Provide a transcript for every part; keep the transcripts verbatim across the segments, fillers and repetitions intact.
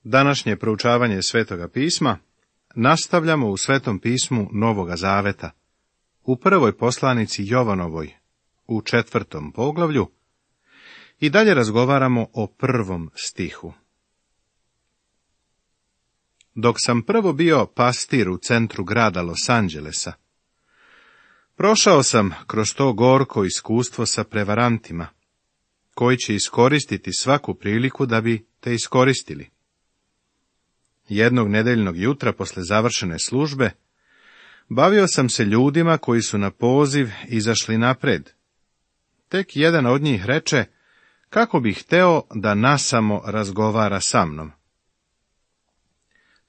Današnje proučavanje Svetoga pisma nastavljamo u Svetom pismu Novoga Zaveta, u prvoj poslanici Jovanovoj, u četvrtom poglavlju, i dalje razgovaramo o prvom stihu. Dok sam prvo bio pastir u centru grada Los Angelesa, prošao sam kroz to gorko iskustvo sa prevarantima, koji će iskoristiti svaku priliku da bi te iskoristili. Jednog nedeljnog jutra posle završene službe bavio sam se ljudima koji su na poziv izašli napred. Tek jedan od njih reče kako bi hteo da nasamo razgovara sa mnom.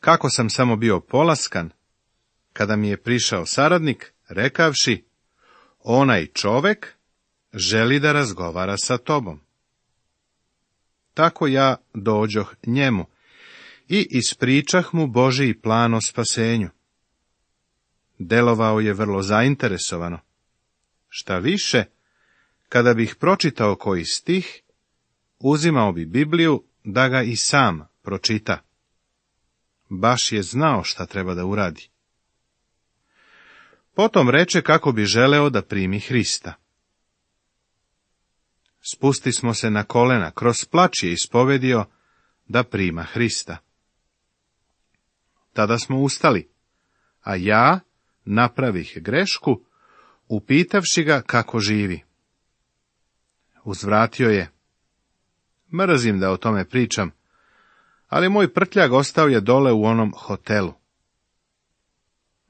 Kako sam samo bio polaskan, kada mi je prišao saradnik, rekavši, onaj čovek želi da razgovara sa tobom. Tako ja dođoh njemu i ispričah mu Božiji plan o spasenju. Delovao je vrlo zainteresovano. Šta više, kada bih pročitao koji stih, uzimao bi Bibliju da ga i sam pročita. Baš je znao šta treba da uradi. Potom reče kako bi želeo da primi Hrista. Spusti smo se na kolena, kroz plač je ispovedio da prima Hrista. Tada smo ustali, a ja napravih grešku, upitavši ga kako živi. Uzvratio je, mrzim da o tome pričam, ali moj prtljag ostao je dole u onom hotelu.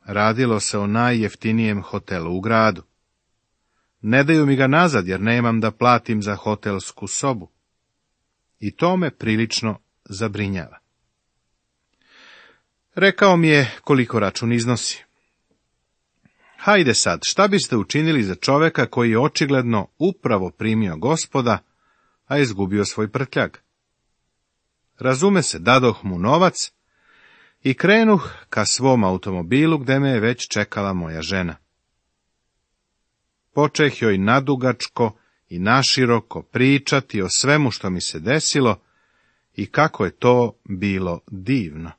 Radilo se o najjeftinijem hotelu u gradu. Ne daju mi ga nazad, jer nemam da platim za hotelsku sobu. I to me prilično zabrinjava. Rekao mi je koliko račun iznosi. Hajde sad, šta biste učinili za čoveka koji je očigledno upravo primio Gospoda, a izgubio svoj prtljag? Razume se, dadoh mu novac i krenuh ka svom automobilu gde me je već čekala moja žena. Počeh joj nadugačko i naširoko pričati o svemu što mi se desilo i kako je to bilo divno.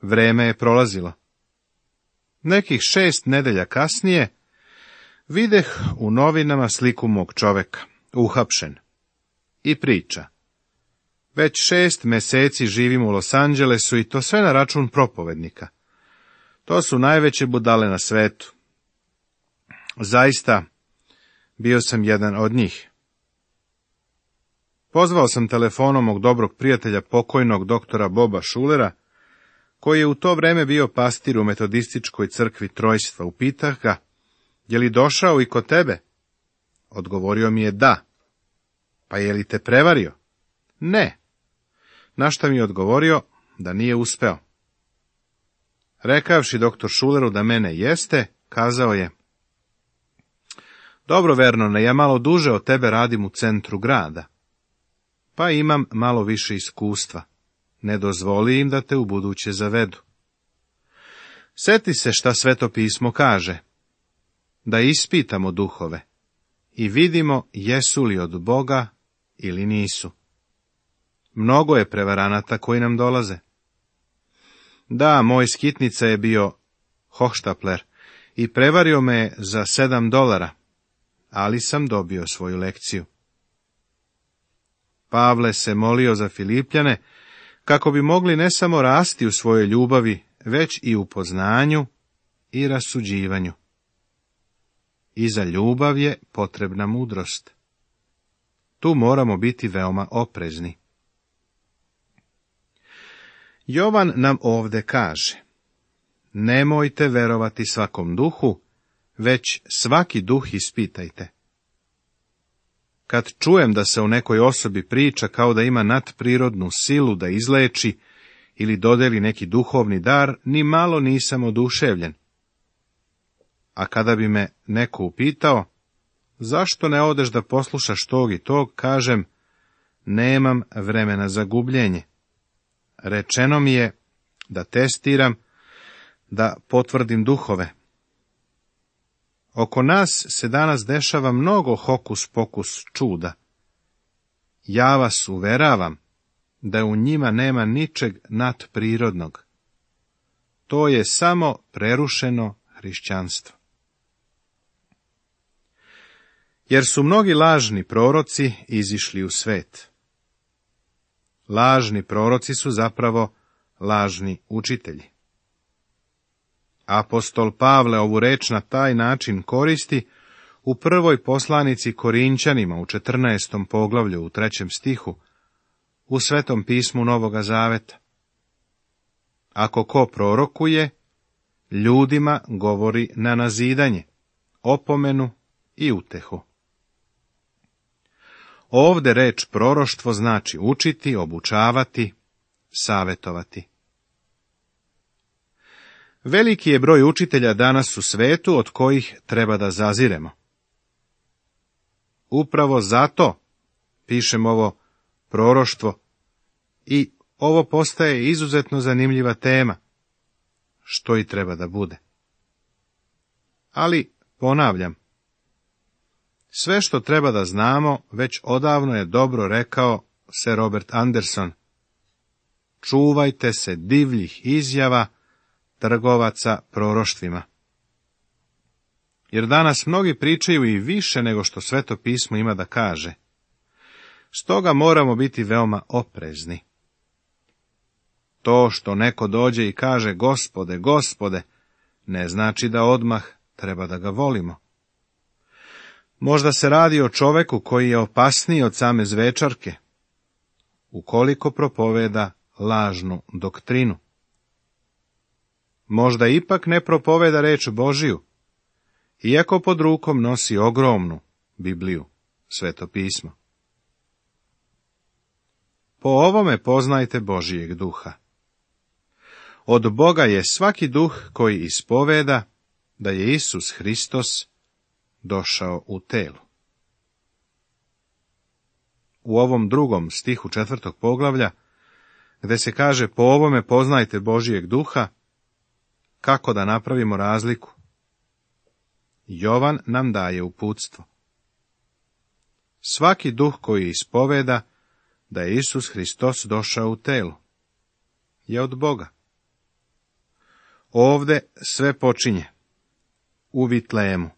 Vreme je prolazilo. Nekih šest nedelja kasnije videh u novinama sliku mog čoveka, uhapšen, i priča. Već šest meseci živim u Los Angelesu i to sve na račun propovednika. To su najveće budale na svetu. Zaista, bio sam jedan od njih. Pozvao sam telefonom mog dobrog prijatelja, pokojnog doktora Boba Šulera, koji je u to vreme bio pastir u metodističkoj crkvi Trojstva. Upitah ga, je li došao i kod tebe? Odgovorio mi je da. Pa je li te prevario? Ne. Na šta mi je odgovorio da nije uspeo. Rekavši doktor Šuleru da mene jeste, kazao je, dobro, Vernone, ja malo duže od tebe radim u centru grada, pa imam malo više iskustva. Ne dozvoli im da te ubuduće zavedu. Seti se šta Sveto pismo kaže, da ispitamo duhove i vidimo jesu li od Boga ili nisu. Mnogo je prevaranata koji nam dolaze. Da, moj skitnica je bio hohštapler i prevario me za sedam dolara, ali sam dobio svoju lekciju. Pavle se molio za Filipljane, kako bi mogli ne samo rasti u svojoj ljubavi, već i u poznanju i rasuđivanju. I za ljubav je potrebna mudrost. Tu moramo biti veoma oprezni. Jovan nam ovde kaže, nemojte verovati svakom duhu, već svaki duh ispitajte. Kad čujem da se o nekoj osobi priča kao da ima nadprirodnu silu da izleči ili dodeli neki duhovni dar, ni malo nisam oduševljen. A kada bi me neko upitao, zašto ne odeš da poslušaš tog i tog, kažem, nemam vremena za gubljenje. Rečeno mi je da testiram, da potvrdim duhove. Oko nas se danas dešava mnogo hokus pokus čuda. Ja vas uveravam da u njima nema ničeg nadprirodnog. To je samo prerušeno hrišćanstvo. Jer su mnogi lažni proroci izišli u svet. Lažni proroci su zapravo lažni učitelji. Apostol Pavle ovu reč na taj način koristi u prvoj poslanici Korinćanima u četrnaestom poglavlju u trećem stihu u Svetom pismu Novoga Zaveta. Ako ko prorokuje, ljudima govori na nazidanje, opomenu i utehu. Ovde reč proroštvo znači učiti, obučavati, savetovati. Veliki je broj učitelja danas u svetu od kojih treba da zaziremo. Upravo zato pišem ovo proroštvo i ovo postaje izuzetno zanimljiva tema, što i treba da bude. Ali, ponavljam, sve što treba da znamo već odavno je dobro rekao Sir Robert Anderson. Čuvajte se divljih izjava trgovaca proroštvima. Jer danas mnogi pričaju i više nego što Sveto pismo ima da kaže. Stoga moramo biti veoma oprezni. To što neko dođe i kaže Gospode, Gospode, ne znači da odmah treba da ga volimo. Možda se radi o čoveku koji je opasniji od same zvečarke, ukoliko propoveda lažnu doktrinu. Možda ipak ne propoveda reč Božiju, iako pod rukom nosi ogromnu Bibliju, Sveto pismo. Po ovome poznajte Božijeg duha. Od Boga je svaki duh koji ispoveda da je Isus Hristos došao u telu. U ovom drugom stihu četvrtog poglavlja, gde se kaže po ovome poznajte Božijeg duha, kako da napravimo razliku? Jovan nam daje uputstvo. Svaki duh koji ispoveda da je Isus Hristos došao u telu je od Boga. Ovde sve počinje u Vitlejemu.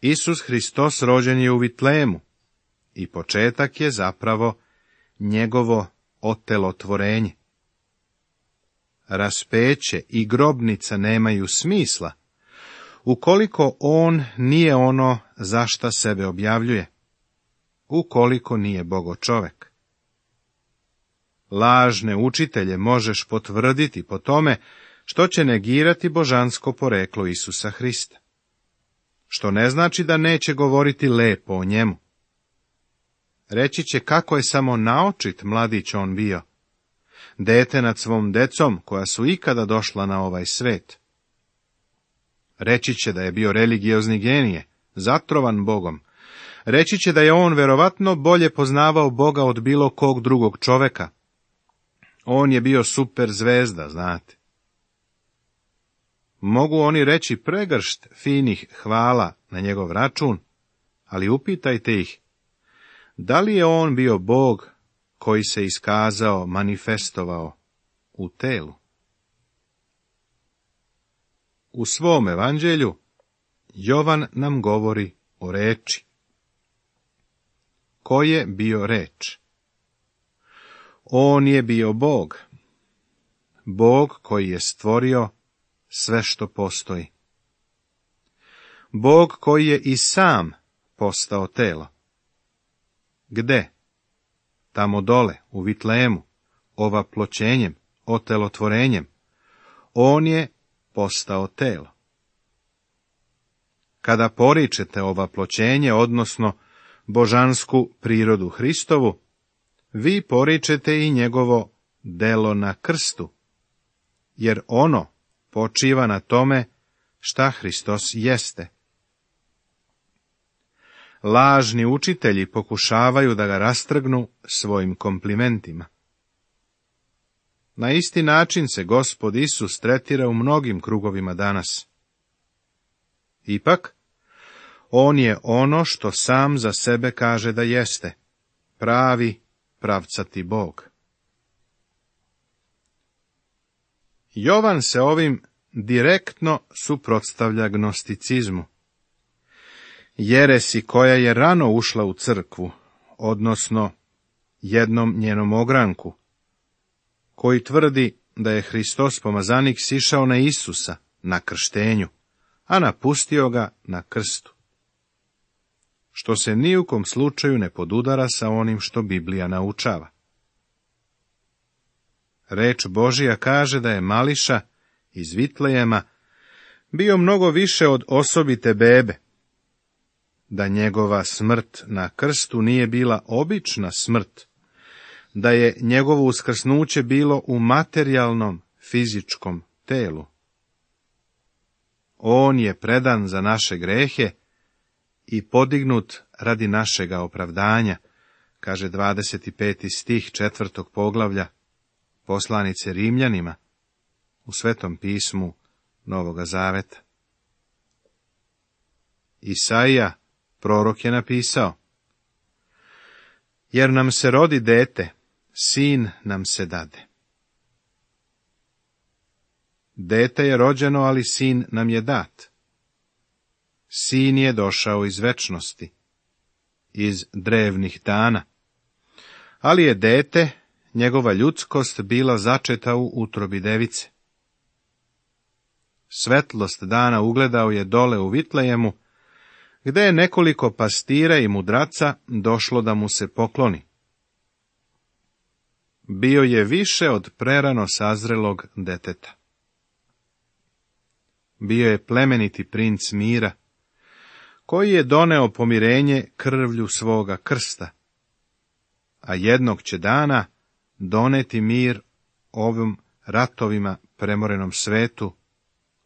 Isus Hristos rođen je u Vitlejemu i početak je zapravo njegovo otelotvorenje. Raspeće i grobnica nemaju smisla ukoliko on nije ono za šta sebe objavljuje, ukoliko nije Bogo čovek. Lažne učitelje možeš potvrditi po tome što će negirati božansko poreklo Isusa Hrista, što ne znači da neće govoriti lepo o njemu. Reći će kako je samo naočit mladić on bio, dete nad svom decom koja su ikada došla na ovaj svet. Reći će da je bio religiozni genije, zatrovan Bogom. Reći će da je on verovatno bolje poznavao Boga od bilo kog drugog čoveka. On je bio super zvezda, znate. Mogu oni reći pregršt finih hvala na njegov račun, ali upitajte ih, da li je on bio Bog koji se iskazao, manifestovao u telu? U svom evanđelju Jovan nam govori o reči. Ko je bio reč? On je bio Bog. Bog koji je stvorio sve što postoji. Bog koji je i sam postao telo. Gde? Tamo dole, u Vitlejemu, ovaploćenjem, otelotvorenjem. On je postao telo. Kada poričete ovaploćenje, odnosno božansku prirodu Hristovu, vi poričete i njegovo delo na krstu, jer ono počiva na tome šta Hristos jeste. Lažni učitelji pokušavaju da ga rastrgnu svojim komplimentima. Na isti način se Gospod Isus tretira u mnogim krugovima danas. Ipak, on je ono što sam za sebe kaže da jeste, pravi pravcati Bog. Jovan se ovim direktno suprotstavlja gnosticizmu, jeresi koja je rano ušla u crkvu, odnosno jednom njenom ogranku, koji tvrdi da je Hristos pomazanik sišao na Isusa na krštenju, a napustio ga na krstu, što se ni u kom slučaju ne podudara sa onim što Biblija naučava. Reč Božija kaže da je Mališa iz Vitlejema bio mnogo više od osobite bebe, da njegova smrt na krstu nije bila obična smrt, da je njegovo uskrsnuće bilo u materijalnom, fizičkom telu. On je predan za naše grehe i podignut radi našega opravdanja, kaže dvadeset peti stih četvrtog poglavlja poslanice Rimljanima u Svetom pismu Novoga Zaveta. Isaija, prorok, je napisao: jer nam se rodi dete, sin nam se dade. Dete je rođeno, ali sin nam je dat. Sin je došao iz večnosti, iz drevnih dana, ali je dete, njegova ljudskost, bila začeta u utrobi device. Svetlost dana ugledao je dole u Vitlejemu, gde je nekoliko pastira i mudraca došlo da mu se pokloni. Bio je više od prerano sazrelog deteta. Bio je plemeniti princ mira, koji je doneo pomirenje krvlju svoga krsta, a jednog će dana doneti mir ovim ratovima premorenom svetu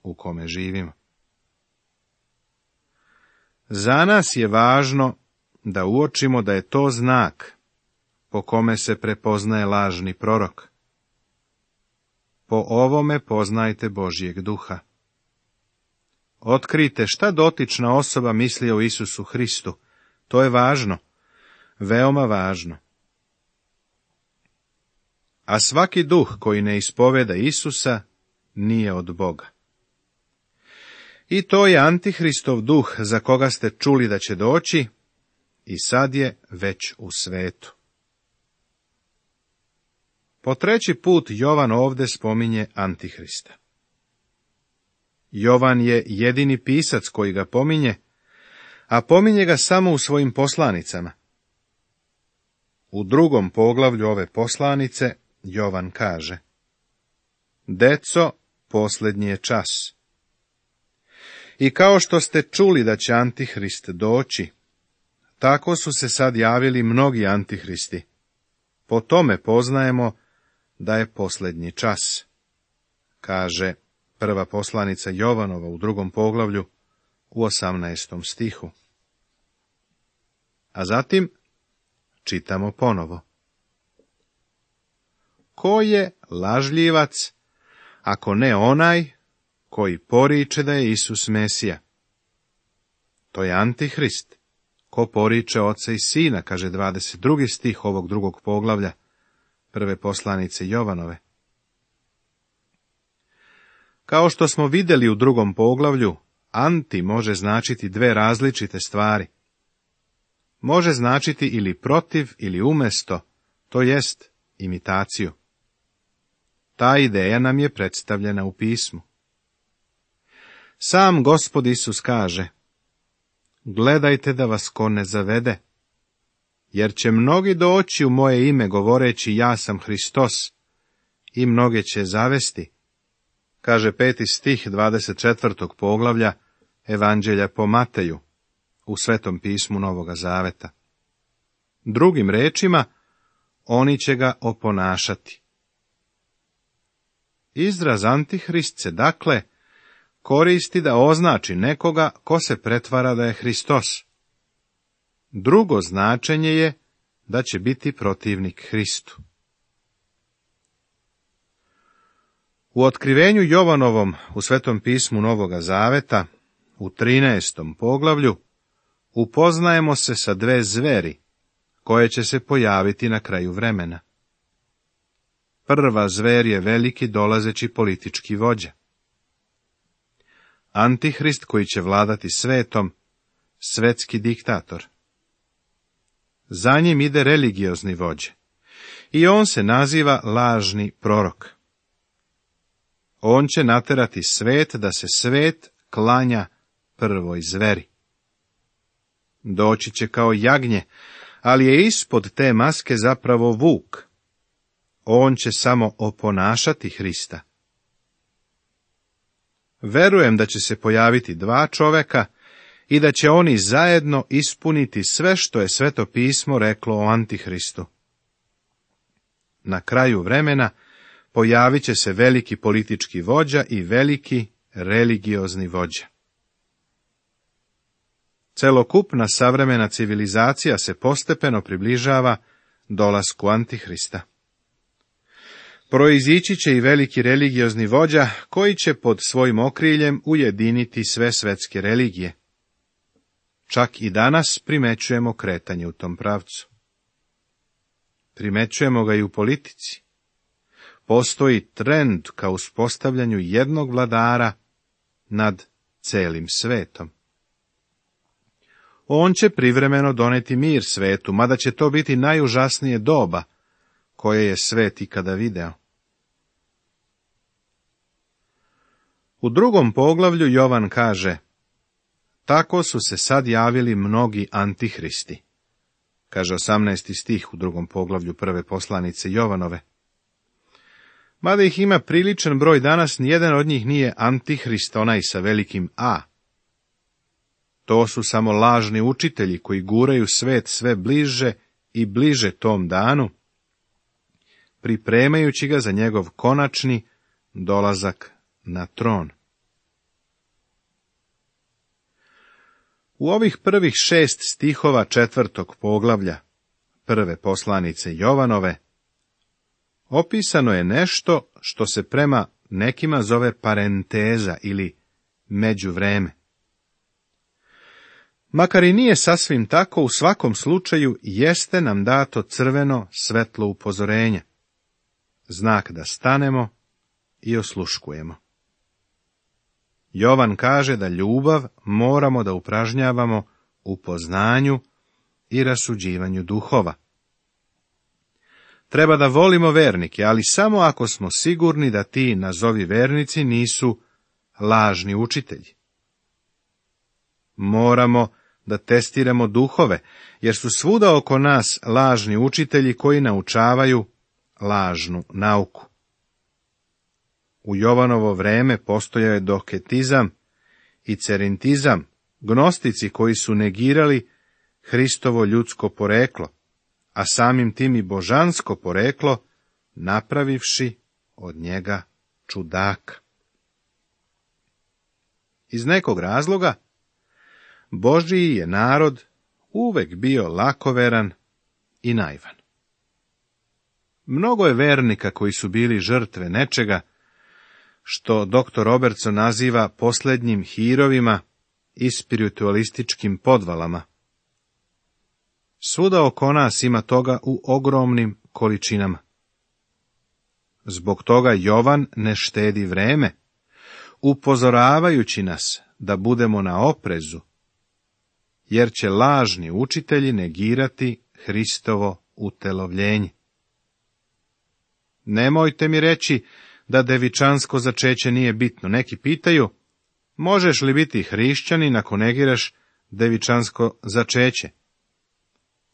u kome živimo. Za nas je važno da uočimo da je to znak po kome se prepoznaje lažni prorok. Po ovome poznajte Božjeg duha. Otkrite šta dotična osoba misli o Isusu Hristu. To je važno, veoma važno. A svaki duh koji ne ispoveda Isusa nije od Boga. I to je Antihristov duh za koga ste čuli da će doći i sad je već u svetu. Po treći put Jovan ovdje spominje Antihrista. Jovan je jedini pisac koji ga pominje, a pominje ga samo u svojim poslanicama. U drugom poglavlju ove poslanice Jovan kaže: Deco, posljednji je čas. I kao što ste čuli da će Antihrist doći, tako su se sad javili mnogi antihristi. Po tome poznajemo da je posljednji čas, kaže prva poslanica Jovanova u drugom poglavlju u osamnaestom stihu. A zatim čitamo ponovo: Ko je lažljivac, ako ne onaj koji poriče da je Isus Mesija? To je Antihrist, ko poriče Oca i Sina, kaže dvadeset drugi stih ovog drugog poglavlja prve poslanice Jovanove. Kao što smo vidjeli u drugom poglavlju, anti može značiti dve različite stvari. Može značiti ili protiv ili umjesto, to jest imitaciju. Ta ideja nam je predstavljena u pismu. Sam Gospod Isus kaže: Gledajte da vas ko ne zavede, jer će mnogi doći u moje ime govoreći ja sam Hristos, i mnoge će zavesti, kaže peti stih dvadeset četvrtog poglavlja Evanđelja po Mateju u Svetom pismu Novoga Zaveta. Drugim rečima, oni će ga oponašati. Izraz Antihrist se, dakle, koristi da označi nekoga ko se pretvara da je Hristos. Drugo značenje je da će biti protivnik Hristu. U otkrivenju Jovanovom u Svetom pismu Novoga Zaveta, u trinaestom poglavlju, upoznajemo se sa dve zveri, koje će se pojaviti na kraju vremena. Prva zver je veliki dolazeći politički vođa. Antihrist koji će vladati svetom, svetski diktator. Za njim ide religiozni vođa i on se naziva lažni prorok. On će naterati svet da se svet klanja prvoj zveri. Doći će kao jagnje, ali je ispod te maske zapravo vuk. On će samo oponašati Hrista. Verujem da će se pojaviti dva čoveka i da će oni zajedno ispuniti sve što je Sveto pismo reklo o Antihristu. Na kraju vremena pojavit će se veliki politički vođa i veliki religiozni vođa. Celokupna savremena civilizacija se postepeno približava dolasku Antihrista. Proizići će i veliki religiozni vođa koji će pod svojim okriljem ujediniti sve svetske religije. Čak i danas primećujemo kretanje u tom pravcu. Primećujemo ga i u politici. Postoji trend ka uspostavljanju jednog vladara nad celim svetom. On će privremeno doneti mir svetu, mada će to biti najužasnije doba koje je svet ikada video. U drugom poglavlju Jovan kaže: tako su se sad javili mnogi antihristi. Kaže osamnaesti stih u drugom poglavlju prve poslanice Jovanove. Mada ih ima priličan broj danas, nijedan od njih nije antihrist, onaj sa velikim A. To su samo lažni učitelji koji guraju svet sve bliže i bliže tom danu, pripremajući ga za njegov konačni dolazak na tron. U ovih prvih šest stihova četvrtog poglavlja prve poslanice Jovanove opisano je nešto što se prema nekima zove parenteza ili međuvreme. Makar i nije sasvim tako, u svakom slučaju jeste nam dato crveno svetlo upozorenja, znak da stanemo i osluškujemo. Jovan kaže da ljubav moramo da upražnjavamo u poznanju i rasuđivanju duhova. Treba da volimo vernike, ali samo ako smo sigurni da ti nazovi vernici nisu lažni učitelji. Moramo da testiramo duhove, jer su svuda oko nas lažni učitelji koji naučavaju lažnu nauku. U Jovanovo vreme postojao je doketizam i cerintizam, gnostici koji su negirali Hristovo ljudsko poreklo, a samim tim i božansko poreklo, napravivši od njega čudaka. Iz nekog razloga, Božiji je narod uvek bio lakoveran i naivan. Mnogo je vernika koji su bili žrtve nečega, što doktor Robertson naziva posljednjim hirovima i spiritualističkim podvalama. Svuda oko nas ima toga u ogromnim količinama. Zbog toga Jovan ne štedi vreme, upozoravajući nas da budemo na oprezu, jer će lažni učitelji negirati Hristovo utelovljenje. Nemojte mi reći da devičansko začeće nije bitno. Neki pitaju, možeš li biti hrišćanin ako negiraš devičansko začeće?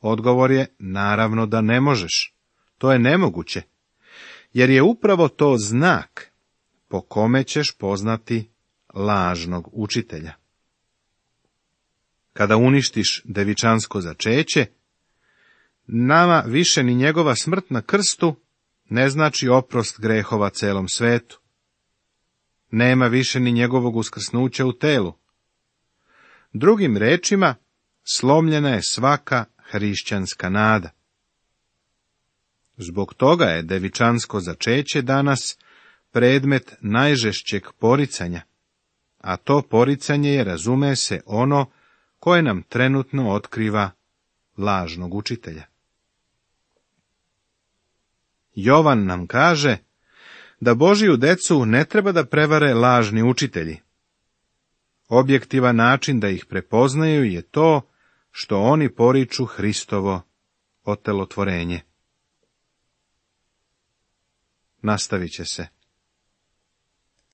Odgovor je, naravno da ne možeš. To je nemoguće, jer je upravo to znak po kome ćeš poznati lažnog učitelja. Kada uništiš devičansko začeće, nama više ni njegova smrt na krstu ne znači oprost grehova celom svetu. Nema više ni njegovog uskrsnuća u telu. Drugim rečima, slomljena je svaka hrišćanska nada. Zbog toga je devičansko začeće danas predmet najžešćeg poricanja, a to poricanje je, razume se, ono koje nam trenutno otkriva lažnog učitelja. Jovan nam kaže da Božiju decu ne treba da prevare lažni učitelji. Objektivan način da ih prepoznaju je to što oni poriču Hristovo otelotvorenje. Nastavit će se.